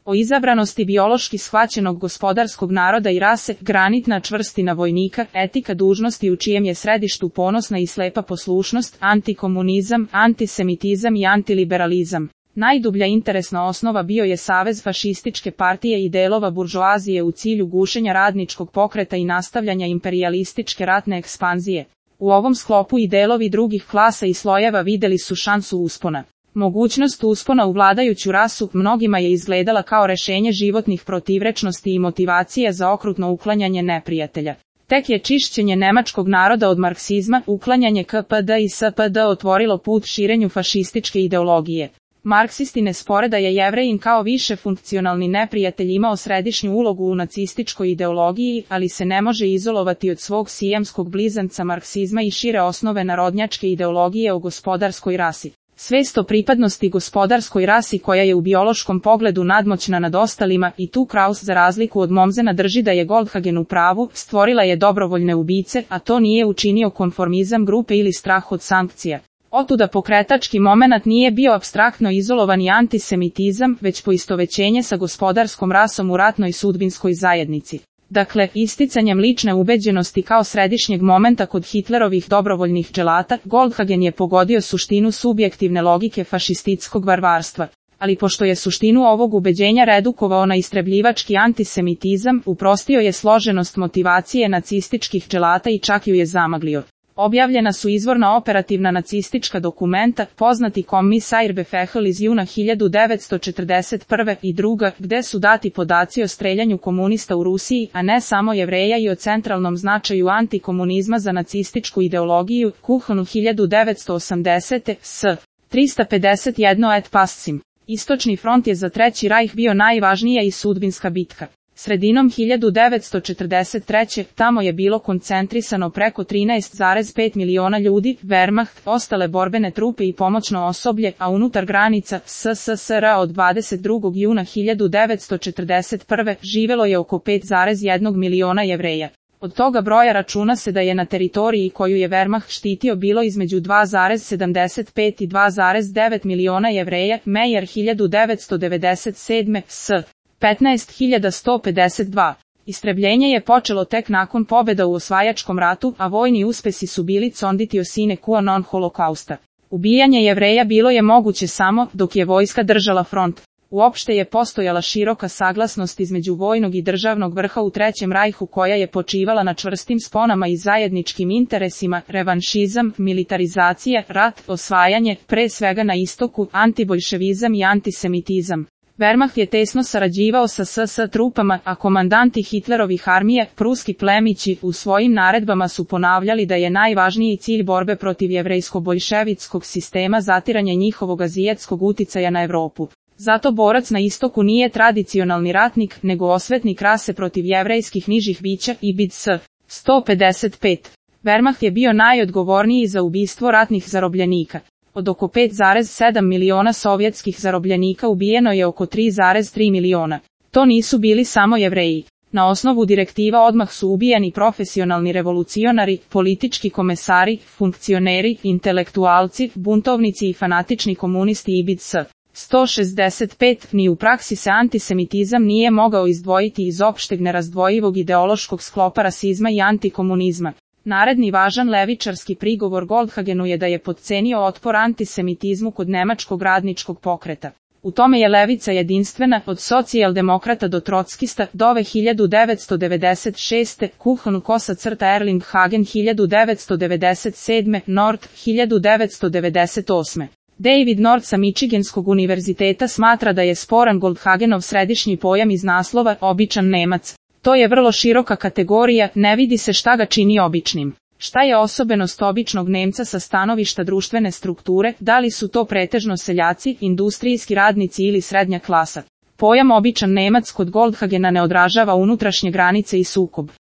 O izabranosti biološki shvaćenog gospodarskog naroda i rase, granitna čvrstina vojnika, etika dužnosti u čijem je središtu ponosna i slepa poslušnost, antikomunizam, antisemitizam i antiliberalizam. Najdublja interesna osnova bio je savez fašističke partije i delova buržoazije u cilju gušenja radničkog pokreta i nastavljanja imperijalističke ratne ekspanzije. U ovom sklopu i delovi drugih klasa i slojeva videli su šansu uspona. Mogućnost uspona u vladajuću rasu mnogima je izgledala kao rešenje životnih protivrečnosti i motivacije za okrutno uklanjanje neprijatelja. Tek je čišćenje nemačkog naroda od marksizma, uklanjanje KPD i SPD otvorilo put širenju fašističke ideologije. Marksisti ne spore da je Jevrejin kao više funkcionalni neprijatelj imao središnju ulogu u nacističkoj ideologiji, ali se ne može izolovati od svog sijamskog blizanca marksizma i šire osnove narodnjačke ideologije o gospodarskoj rasi. Svest o pripadnosti gospodarskoj rasi koja je u biološkom pogledu nadmoćna nad ostalima i tu Kraus za razliku od Mommsena drži da je Goldhagen u pravu, stvorila je dobrovoljne ubice, a to nije učinio konformizam grupe ili strah od sankcija. Otuda pokretački momenat nije bio apstraktno izolovani antisemitizam, već poistovećenje sa gospodarskom rasom u ratnoj sudbinskoj zajednici. Dakle, isticanjem lične ubeđenosti kao središnjeg momenta kod Hitlerovih dobrovoljnih dželata, Goldhagen je pogodio suštinu subjektivne logike fašističkog varvarstva. Ali pošto je suštinu ovog ubeđenja redukovao na istrebljivački antisemitizam, uprostio je složenost motivacije nacističkih dželata i čak ju je zamaglio. Objavljena su izvorna operativna nacistička dokumenta, poznati Kommissarbefehl iz juna 1941. i druga, gde su dati podaci o streljanju komunista u Rusiji, a ne samo Jevreja i o centralnom značaju antikomunizma za nacističku ideologiju, Kuhn 1980. s. 351 et passim. Istočni front je za Treći rajh bio najvažnija i sudbinska bitka. Sredinom 1943. tamo je bilo koncentrisano preko 13,5 miliona ljudi, Wehrmacht, ostale borbene trupe i pomoćno osoblje, a unutar granica SSSR od 22. juna 1941. živelo je oko 5,1 miliona Jevreja. Od toga broja računa se da je na teritoriji koju je Wehrmacht štitio bilo između 2,75 i 2,9 miliona Jevreja, Meyer 1997. s. 15.152. Istrebljenje je počelo tek nakon pobjeda u osvajačkom ratu, a vojni uspesi su bili conditio sine qua non holokausta. Ubijanje Jevreja bilo je moguće samo dok je vojska držala front. Uopšte je postojala široka saglasnost između vojnog i državnog vrha u Trećem rajhu koja je počivala na čvrstim sponama i zajedničkim interesima, revanšizam, militarizacija, rat, osvajanje, pre svega na istoku, antiboljševizam i antisemitizam. Wehrmacht je tesno sarađivao sa SS trupama, a komandanti Hitlerovih armije, pruski plemići, u svojim naredbama su ponavljali da je najvažniji cilj borbe protiv jevrejsko-boljševitskog sistema zatiranje njihovog azijetskog uticaja na Evropu. Zato borac na istoku nije tradicionalni ratnik, nego osvetnik rase protiv jevrejskih nižih bića i BIDS. 155. Wehrmacht je bio najodgovorniji za ubistvo ratnih zarobljenika. Od oko 5,7 miliona sovjetskih zarobljenika ubijeno je oko 3,3 miliona. To nisu bili samo Jevreji. Na osnovu direktiva odmah su ubijani profesionalni revolucionari, politički komesari, funkcioneri, intelektualci, buntovnici i fanatični komunisti i BIDS. 165. Ni u praksi se antisemitizam nije mogao izdvojiti iz opšteg nerazdvojivog ideološkog sklopa rasizma i antikomunizma. Naredni važan levičarski prigovor Goldhagenu je da je potcenio otpor antisemitizmu kod nemačkog radničkog pokreta. U tome je levica jedinstvena, od socijaldemokrata do trockista, dove 1996. Kuhn Erling Hagen 1997. Nord 1998. David Nord sa Michiganskog univerziteta smatra da je sporan Goldhagenov središnji pojam iz naslova običan Nemac. To je vrlo široka kategorija, ne vidi se šta ga čini običnim. Šta je osobenost običnog Nemca sa stanovišta društvene strukture, da li su to pretežno seljaci, industrijski radnici ili srednja klasa? Pojam običan Nemac kod Goldhagena ne odražava unutrašnje granice i sukob.